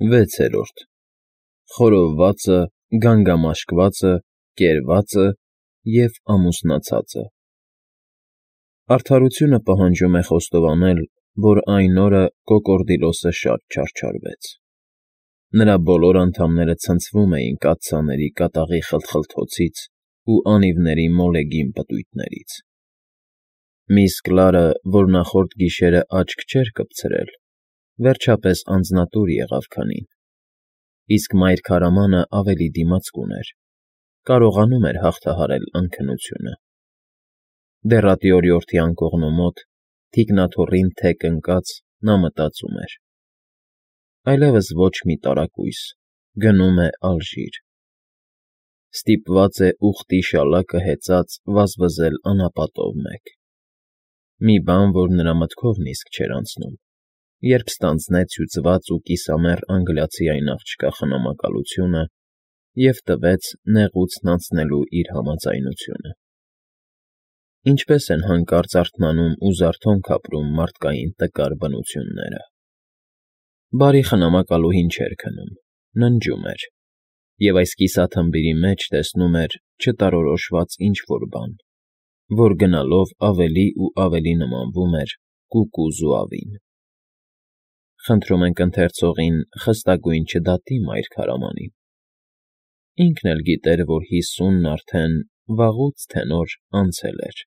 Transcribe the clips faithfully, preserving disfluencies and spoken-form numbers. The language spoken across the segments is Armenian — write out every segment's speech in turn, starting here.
Վեցերորդ Խորովվածը, գանգամաշկվածը, կերվածը և ամուսնացածը Արդարությունը պահանջում է խոստովանել, որ այն օրը Կոկորդիլոսը շատ չարչարվեց. նրա բոլոր անդամները ցնցվում էին կաթսաների կատաղի խլթխլթոցից ու անիվների մոլեգին պտույտներից. Միս Կլարը, որ նախորդ գիշերը աչք չէր կպցրել, վերջապես անձնատուր եղավ քնին, իսկ մայր քարամանը ավելի դիմացկուն էր, կարողանում էր հաղթահարել անքնությունը. դեռատի օրիորդի անկողնու մոտ, թիկնաթոռին թեք ընկած, նա մտածում էր. այլևս ոչ մի տարակույս, գնում է Ալժիր, ստիպված է ուղտի շալակը հեծած վազվզել անապատով մեկ, մի բան, որ նրա մտքով նիսկ չէր անցնում, երբ ստանձնեց հյուծված ու կիսամեռ անգլիացի այն աղջկա խնամակալությունը և տվեց նեղուցն անցնելու իր համաձայնությունը. ինչպես են հանկարծ արթնանում ու զարթոնք ապրում մարդկային տկար բնությունները. բարի խնամակալուհին չէր քնում, ննջում էր, և այս կիսաթմբիրի մեջ տեսնում էր չտարորոշված ինչ֊որ բան, որ գնալով ավելի ու ավելի նմանվում էր կուկու զուավին։ Խնդրում ենք ընթերցողին խստագույն չդատի մայր քարամանին. ինքն էլ գիտեր, որ հիսունն արդեն վաղուց թե նոր անցել էր,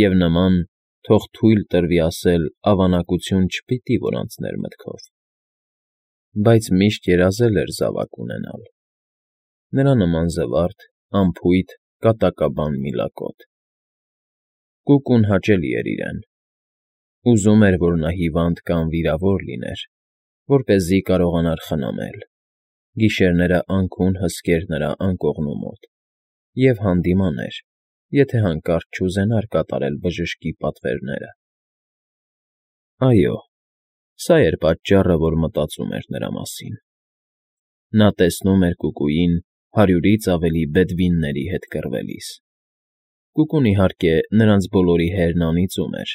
և նման, թող թույլ տրվի ասել, ավանակություն չպիտի որ անցներ մտքով, բայց միշտ երազել էր զավակ ունենալ, նրա նման զվարթ, անփույթ, կատակաբան մի լակոտ. կուկուն հաճելի էր իրեն, ուզում էր, որ նա հիվանդ կամ վիրավոր լիներ, որպեսզի կարողանար խնամել, գիշերները անքուն հսկեր նրա անկողնու մոտ և հանդիմաներ, եթե հանկարծ չուզենար կատարել բժշկի պատվերները։ Այո, սա էր պատճառը, որ մտածում էր նրա մասին. նա տեսնում էր կուկուին հարյուրից ավելի բեդվինների հետ կռվելիս, կուկուն, իհարկե, նրանց բոլորի հերն անիծում էր,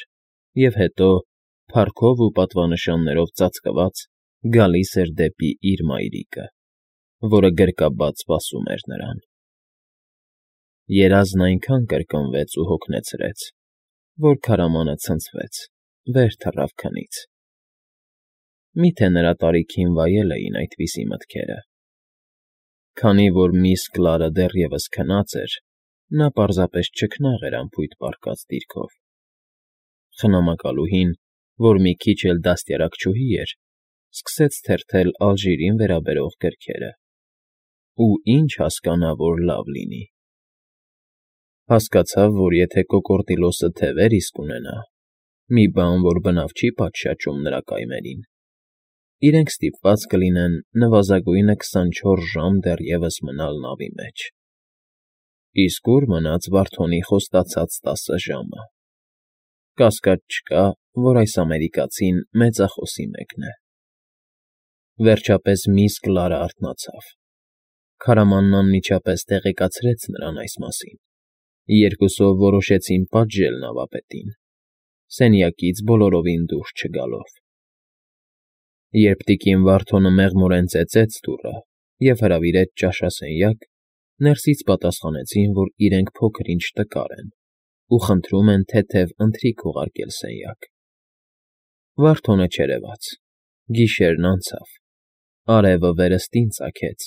և հետո, փառքով ու պատվանշաններով ծածկված, գալիս էր դեպի իր մայրիկը, որը գրկաբաց սպասում էր նրան։ Երազն այնքան կրկնվեց ու հոգնեցրեց, որ քարամանը ցնցվեց, վեր թռավ քնից։ Մի՞թե նրա տարիքին վայել էին այդպիսի մտքերը։ Քանի որ միս Կլարը դեռևս քնած էր, նա պարզապես չքնաղ էր անփույթ պառկած դիրքով։ Խնամակալուհին, որ մի քիչ էլ դաստիարակչուհի էր, սկսեց թերթել Ալժիրին վերաբերող գրքերը, ու ինչ հասկանա, որ լավ լինի։ Հասկացավ, որ եթե Կոկորդիլոսը թևեր իսկ ունենա, մի բան, որ բնավ չի պատշաճում նրա կայմերին, իրենք ստիպված կլինեն նվազագույնը քսանչորս ժամ դեռևս մնալ նավի մեջ։ Իսկ ու՞ր մնաց Վարդոնի խոստացած տասը ժամը։ Կասկած չկա, որ այս ամերիկացին մեծախոսի մեկն է։ Վերջապես միս Կլարը արթնացավ։ Քարամանն անմիջապես տեղեկացրեց նրան այս մասին։ Երկուսով որոշեցին պատժել նավապետին, սենյակից բոլորովին դուրս չգալով։ Երբ տիկին Վարդոնը մեղմորեն ծեծեց դուռը և հրավիրեց ճաշասենյակ, ներսից պատասխանեցին, որ իրենք փոքր֊ինչ տկար են ու խնդրում են թեթև ընթրիք ուղարկել սենյակ։ Վարդոնը չերևաց, գիշերն անցավ, արևը վերստին ծագեց,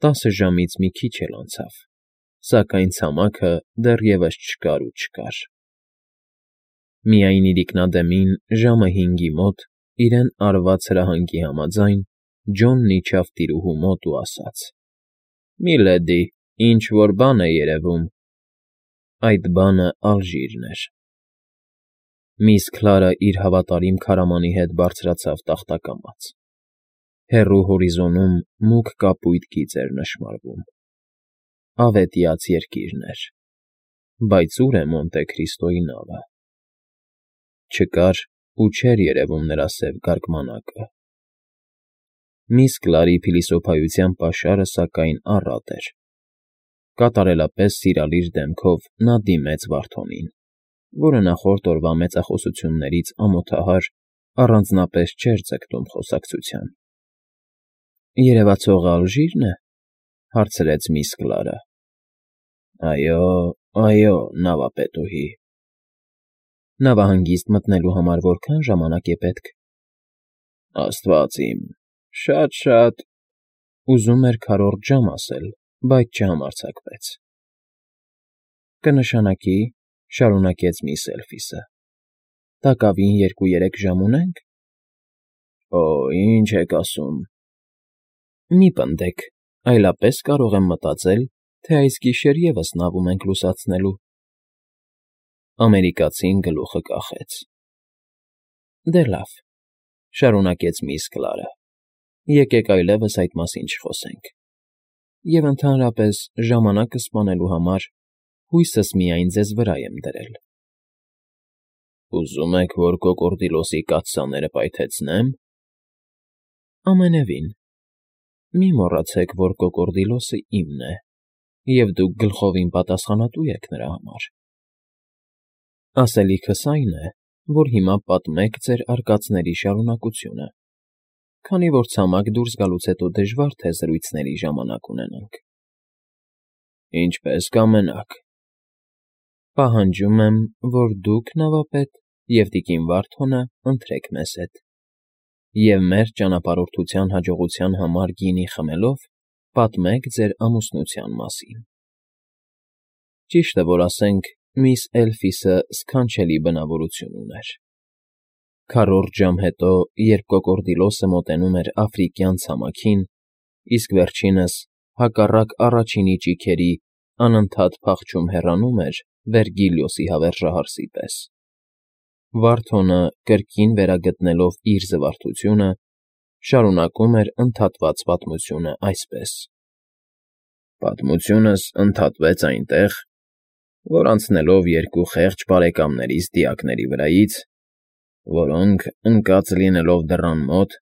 տասը ժամից մի քիչ էլ անցավ, սակայն ցամաքը դեռևս չկար ու չկար։ Միայն իրիկնադեմին ժամը հինգի մոտ, իրեն արված հրահանգի համաձայն, Ջոնն իջավ տիրուհու մոտ ու ասաց. «Միլեդի, ինչ֊որ բան է երևում»։ Այդ բանը Ալժիրն էր։ Միս Կլարը իր հավատարիմ քարամանի հետ բարձրացավ տախտակամաց։ Հեռու հորիզոնում մուգ կապույտ գիծ էր նշմարվում։ Ավետյաց երկիրն էր։ Բայց ո՞ւր է Մոնտե Քրիստոյի նավը։ Չկար ու չէր երևում նրա սև գարգմանակը։ Միս Կլարի փիլիսոփայության պաշարը, սակայն, առատ էր։ Կատարելապես սիրալիր դեմքով նա դիմեց Վարդոնին, որը նախորդ օրվա մեծախոսություններից ամոթահար առանձնապես չէր ձգտում խոսակցության։ երևացողը ալժի՞րն է,֊ հարցրեց միս Կլարը։ ֊ Այո, այո, նավապետուհի։ ֊ Նավահանգիստ մտնելու համար որքա՞ն ժամանակ է պետք։ ֊ Աստված իմ, շատ֊շատ,֊ ուզում էր քառորդ ժամ ասել, բայց չհամարձակվեց։ ֊ Կնշանակի,֊ շարունակեց միս Էլֆիսը,֊ տակավին երկու֊երեք ժամ ունե՞նք։ ֊ Օ՜, ինչ եք ասում։ ֊ Մի պնդեք, այլապես կարող եմ մտածել, թե այս գիշեր ևս նավում ենք լուսացնելու։ Ամերիկացին գլուխը կախեց։ ֊ Դե լավ,֊ շարունակեց միս Կլարը,֊ եկեք այլևս այդ մասին չխոսենք, և ընդհանրապես ժամանակը սպանելու համար հույսս միայն ձեզ վրա եմ դրել։ ֊ Ուզում եք, որ կոկորդիլոսի կաթսաները պայթեցնե՞մ։ ֊ Ամենևին։ Մի մոռացեք, որ կոկորդիլոսը իմն է, և դուք գլխովին պատասխանատու եք նրա համար։ Ասելիքս այն է, որ հիմա պատմեք ձեր արկածների շարունակությունը, քանի որ ցամաք դուրս գալուց հետո դժվար թե զրույցների ժամանակ ունենանք։ ֊ Ինչպես կամենաք։ ֊ Պահանջում եմ, որ դուք, նավապետ, և տիկին Վարդոնը ընթրեք մեզ հետ, և մեր ճանապարհորդության հաջողության համար գինի խմելով պատմեք ձեր ամուսնության մասին։ Ճիշտը որ ասենք, միս Էլֆիսը սքանչելի բնավորություն ուներ։ Քառորդ ժամ հետո, երբ կոկորդիլոսը մոտենում էր աֆրիկյան ցամաքին, իսկ վերջինս, հակառակ առաջինի ճիգերի, անընդհատ փախչում հեռանում էր Վերգիլիոսի հավերժահարսի պես, Վարդոնը, կրկին վերագտնելով իր զվարթությունը, շարունակում էր ընդհատված պատմությունը այսպես. Պատմությունս ընդհատվեց այնտեղ, որ անցնելով երկու խեղճ բարեկամներիս դիակների վրայից, որոնք, ընկած լինելով դռան մոտ,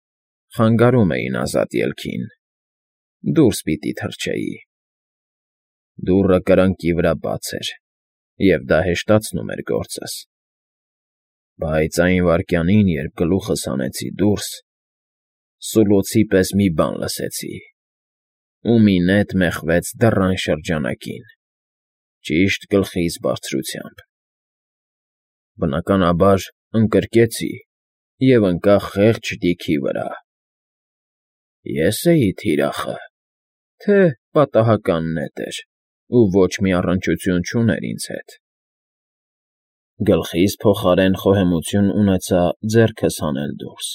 խանգարում էին ազատ ելքին, դուրս պիտի թռչեի։ Դուռը կրկնակի վրա բաց էր, և դա հեշտացնում էր գործս։ Բայց այն վայրկյանին, երբ գլուխս հանեցի դուրս, սուլոցի պես մի բան լսեցի, ու մի նետ մեխվեց դռան շրջանակին, ճիշտ գլխիս բարձրությամբ։ Բնականաբար, ընկրկեցի և ընկա խեղճ ճիգի վրա։ Ե՞ս էի թիրախը, թե՞ պատահական նետ էր ու ոչ մի առնչություն չուներ ինձ հետ։ Գլխիս փոխարեն խոհեմություն ունեցա ձեռքս հանել դուրս։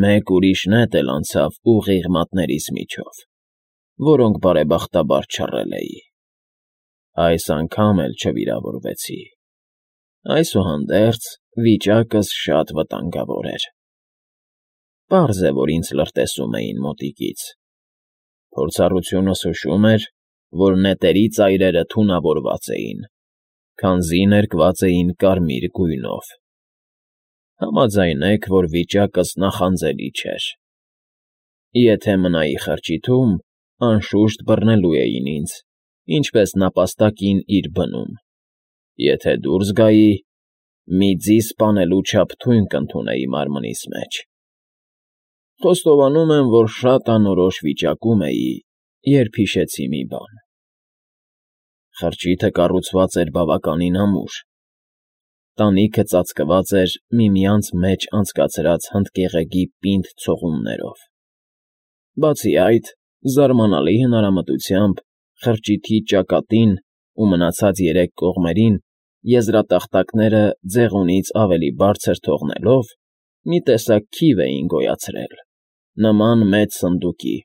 Մեկ ուրիշ նետ էլ անցավ ուղիղ մատներիս միջով, որոնք բարեբախտաբար չռել էի։ Այս անգամ էլ չվիրավորվեցի։ Այսուհանդերձ, վիճակս շատ վտանգավոր էր։ Պարզ է, որ ինձ լրտեսում էին մոտիկից։ Փորձառությունս հուշում էր, որ նետերի ծայրերը թունավորված էին, քանզի ներկված էին կարմիր գույնով։ Համաձայնեք, որ վիճակս նախանձելի չէր։ Եթե մնայի խրճիթում, անշուշտ բռնելու էին ինձ, ինչպես նապաստակին իր բնում։ Եթե դուրս գայի, մի ձի սպանելու չափ թույն կընդունեի մարմնիս մեջ։ Խոստովանում եմ, որ շատ անորոշ վիճակում էի, երբ հիշեցի մի բան. խրճիթը կառուցված էր բավականին ամուր, տանիքը ծածկված էր միմյանց մեջ անցկացրած հնդկեղեգի պինդ ցողուններով։ Բացի այդ, զարմանալի հնարամտությամբ խրճիթի ճակատին ու մնացած երեք կողմերին եզրատախտակները ձեղունից ավելի բարձր թողնելով, մի տեսակ քիվ էին գոյացրել, նման մեծ սնդուկի։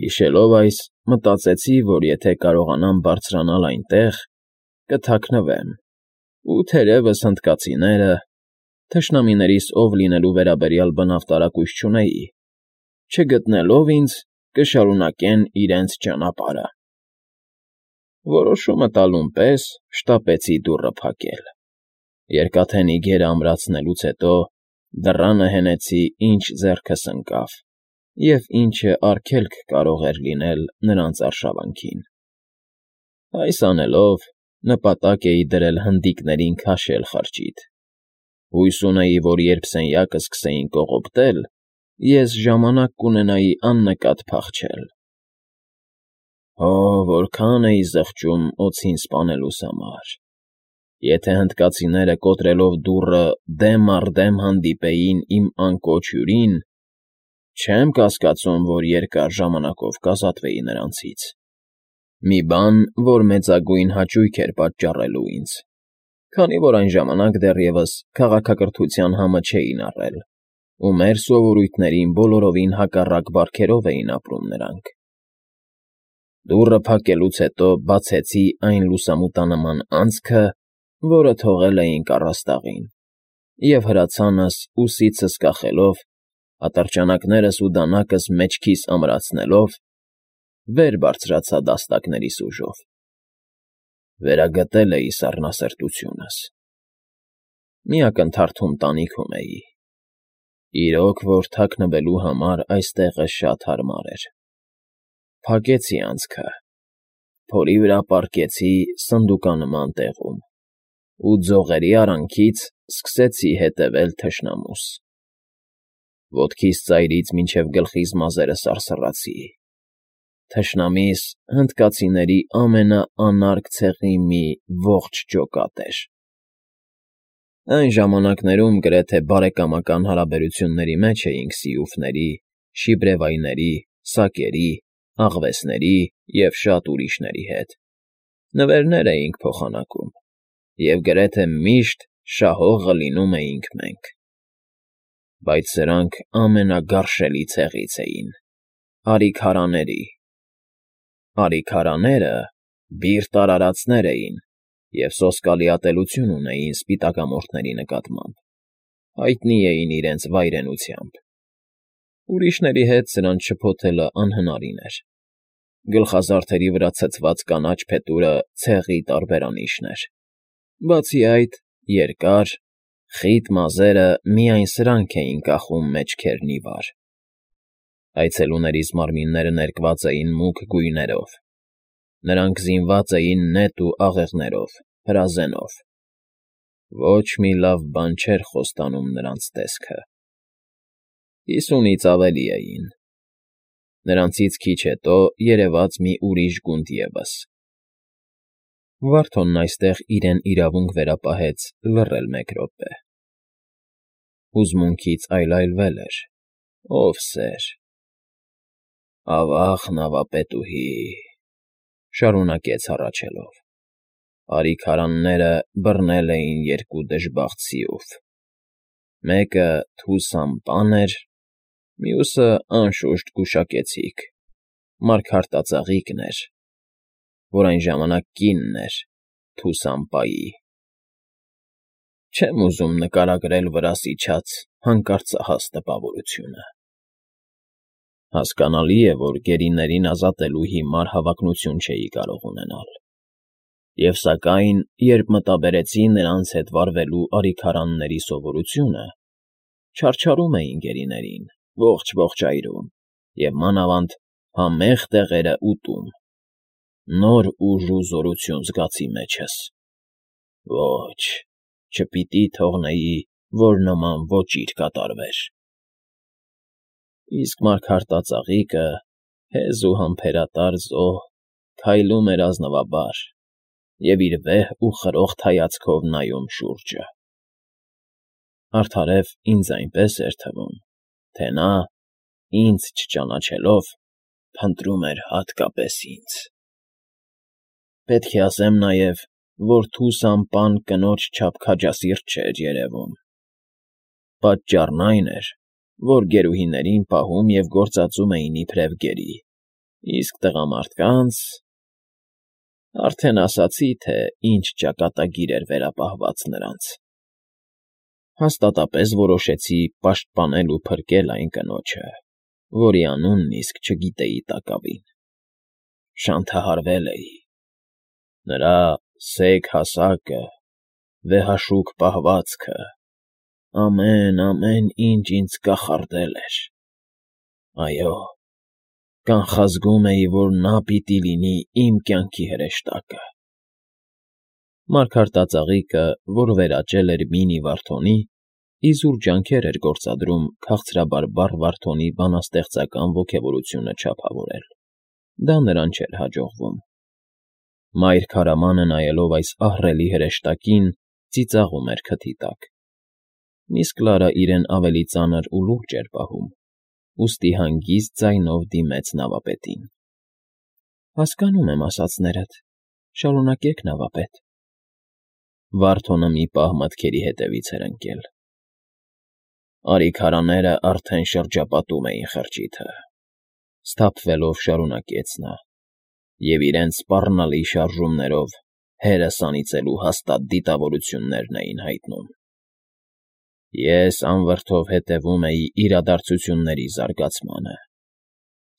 Հիշելով այս, մտածեցի, որ եթե կարողանամ բարձրանալ այնտեղ, կթաքնվեմ, ու թերևս հնդկացիները, թշնամիներիս ով լինելու վերաբերյալ բնավ տարակույս չունեի, չգտնելով ինձ, կշարունակեն իրենց ճանապարհը։ Որոշումը տալուն պես շտապեցի դուռը փակել։ Երկաթի գերը ամրացնելուց հետո դռանը հենեցի, ինչ ձեռքս ընկավ, և ինչը արգելք կարող էր լինել նրանց արշավանքին։ Այս անելով, նպատակ էի դրել հնդիկներին քաշել խրճիթ։ Հույս ունեի, որ երբ սենյակը սկսեին կողոպտել, ես ժամանակ կունենայի աննկատ փախչել։ Հո, որքան էի զղջում օձին սպանելուս համար։ Եթե հնդկացիները կոտրելով դուռը դեմ առ դեմ հանդիպեին իմ անկոչ հյուրին, չեմ կասկածում, որ երկար ժամանակով կազատվեի նրանցից։ Մի բան, որ մեծագույն հաճույք էր պատճառելու ինձ, քանի որ այն ժամանակ դեռևս քաղաքակրթության համը չէին առել, ու մեր սովորույթներին բոլորովին հակառակ բարքերով էին ապրում նրանք։ Դուռը փակելուց հետո բացեցի այն լուսամուտանման անցքը, որը թողել էինք առաստաղին, և հրացանս ուսիցս կախելով, ատրճանակներս ու դանակս մեջքիս ամրացնելով, վեր բարձրացա դաստակներիս ուժով։ Վերագտել էի սառնասրտությունս։ Մի ակնթարթում տանիքում էի։ Իրոք որ թաքնվելու համար այստեղը շատ հարմար էր։ Փակեցի անցքը, փորի վրա պառկեցի սնդուկանման տեղում ու ձողերի արանքից սկսեցի հետևել թշնամուս։ Ոտքիս ծայրից մինչև գլխիս մազերը սարսռացի։ Թշնամիս հնդկացիների ամենաանարգ ցեղի մի ողջ ջոկատ էր։ Այն ժամանակներում գրեթե բարեկամական հարաբերությունների մեջ էինք սիուֆների, շիբրևայների, սակերի, աղվեսների և շատ ուրիշների հետ։ Նվերներ էինք փոխանակում, և գրեթե միշտ շահողը լինում էինք մենք։ Բայց սրանք ամենագարշելի ցեղից էին՝ արիքարաների։ Արիքարաները բիրտ արարածներ էին և սոսկալի ատելություն ունեին սպիտակամորթների նկատմամբ, հայտնի էին իրենց վայրենությամբ։ Ուրիշների հետ սրանց շփոթելը անհնարին էր։ Գլխազարդերի վրա ցցված կանաչ փետուրը ցեղի տարբերանիշն էր։ Բացի այդ, երկար, խիտ մազերը միայն սրանք էին կախում մեջքերն ի վար։ Այցելուներիս մարմինները ներկված էին մուգ գույներով։ Նրանք զինված էին նետ ու աղեղներով, հրազենով։ Ոչ մի լավ բան չէր խոստանում նրանց տեսքը։ Հիսունից ավելի էին։ Նրանցից քիչ հետո երևաց մի ուրիշ գունդ ևս։ Վարդոնն այստեղ իրեն իրավունք վերապահեց լռել մեկ րոպե։ Հուզմունքից այլայլվել էր, ով սեր։ Ավա՜ղ նավապետուհի,֊ շարունակեց հառաչելով,֊ արիքարանները բռնել էին երկու դժբախտ սիուֆ. մեկը Թուսան֊պան էր, մյուսը, անշուշտ, գուշակեցիք, Մարգարտածաղիկն էր, որ այն ժամանակ կինն էր Թուսան֊պայի։ Չեմ ուզում նկարագրել վրաս իջած հանկարծահաս տպավորությունը։ Հասկանալի է, որ գերիներին ազատելու հիմար հավակնություն չէի կարող ունենալ, և սակայն, երբ մտաբերեցի նրանց հետ վարվելու արիքարանների սովորությունը, չարչարում էին գերիներին, ողջ֊ողջ այրում և մանավանդ համեղ տեղերը ուտում, նոր ուժ ու զորություն զգացի մեջս։ Ոչ, չպիտի թողնեի, որ նման ոճիր կատարվեր։ Իսկ մարգարտածաղիկը, հեզ ու համբերատար զոհ, քայլում էր ազնվաբար և իր վեհ ու խրոխտ հայացքով նայում շուրջը։ Արդարև ինձ այնպես էր թվում, թե նա, ինձ չճանաչելով, փնտրում էր հատկապես ինձ։ Պետք է ասեմ նաև, որ Թուսան֊պան կնոջ չափ քաջասիրտ չէր երևում։ Պատճառն այն էր, որ գերուհիներին պահում և գործածում էին իբրև գերի, իսկ տղամարդկանց… Արդեն ասացի, թե ինչ ճակատագիր էր վերապահված նրանց։ Հաստատապես որոշեցի պաշտպանել ու փրկել այն կնոջը, որի անունն իսկ չգիտեի տակավին։ Շանթահարվել էի։ Նրա սեգ հասակը, վեհաշուք պահվածքը, ամեն, ամեն ինչ ինձ կախարդել էր։ Այո, կանխազգում էի, որ նա պիտի լինի իմ կյանքի հրեշտակը։ Մարգարտածաղիկը, որ վերաճել էր Մինի Վարդոնի, Իզուր ջանքեր էր գործադրում քաղցրաբարբառ Վարդոնի բանաստեղծական ոգևորությունը չափավորել. դա նրան չէր հաջողվում։ Մայր քարամանը, նայելով այս ահռելի հրեշտակին, ծիծաղում էր քթի տակ, իսկ Կլարը իրեն ավելի ծանր ու լուրջ էր պահում, ուստի հանգիստ ձայնով դիմեց նավապետին. ֊ Հասկանում եմ ասածներդ, շարունակեք, նավապետ… Վարդոնը մի պահ մտքերի հետևից էր ընկել։ Արի քարաները արդեն շրջապատում էին խրճիթը,֊ սթափվելով շարունակեց նա,֊ և իրենց սպառնալի շարժումներով հերս անիծելու հաստատ դիտավորություններն էին հայտնում։ Ես անվրդով հետևում էի իրադարձությունների զարգացմանը,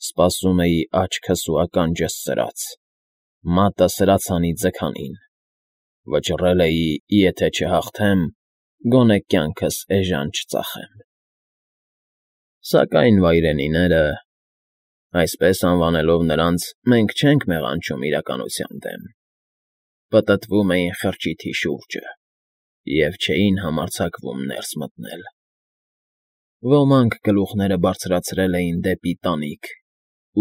սպասում էի աչքս ու ականջս ծրած, մատը սրացանի ձգանին, վճռել էի, եթե չհաղթեմ, գոնե կյանքս էժան չծախեմ։ Սակայն վայրենիները… այսպես անվանելով նրանց, մենք չենք մեղանչում իրականության դեմ, պտտվում էին խրճիթի շուրջը և չէին համարձակվում ներս մտնել։ Ոմանք գլուխները բարձրացրել էին դեպի տանիք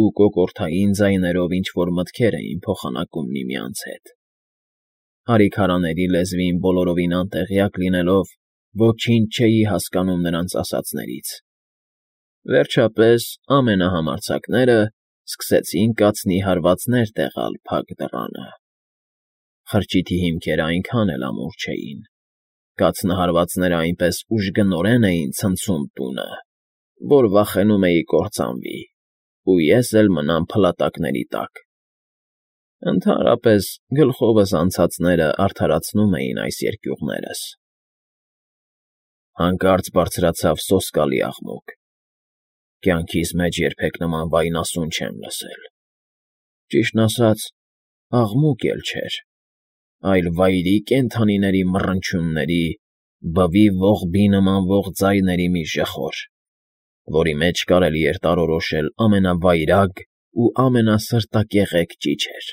ու կոկորդային ձայներով ինչ֊որ մտքեր էին փոխանակում միմյանց հետ։ Արիքարաների լեզվին բոլորովին անտեղյակ լինելով, ոչինչ չէի հասկանում նրանց ասածներից։ Վերջապես ամենահամարձակները սկսեցին կացնի հարվածներ տեղալ փակ դռանը։ Խրճիթի հիմքերը այնքան էլ ամուր չէին, կաթնահարվածներն այնպես ուժգնորեն էին ցնցում տունը, որ վախենում էի կործանվի, ու ես էլ մնամ փլատակների տակ։ Ընդհանրապես, գլխովս անցածներն արդարացնում էին այս երկյուղներս։ Հանկարծ բարձրացավ սոսկալի աղմուկ։ Կյանքիս մեջ երբեք նման վայնասուն չեմ լսել։ Ճիշտն ասած, աղմուկ էլ չէր, այլ վայրի կենդանիների մռնչյունների, բվի ողբի նմանվող ձայների մի ժխոր, որի մեջ կարելի էր տարորոշել ամենավայրագ ու ամենասրտակեղեկ ճիչեր։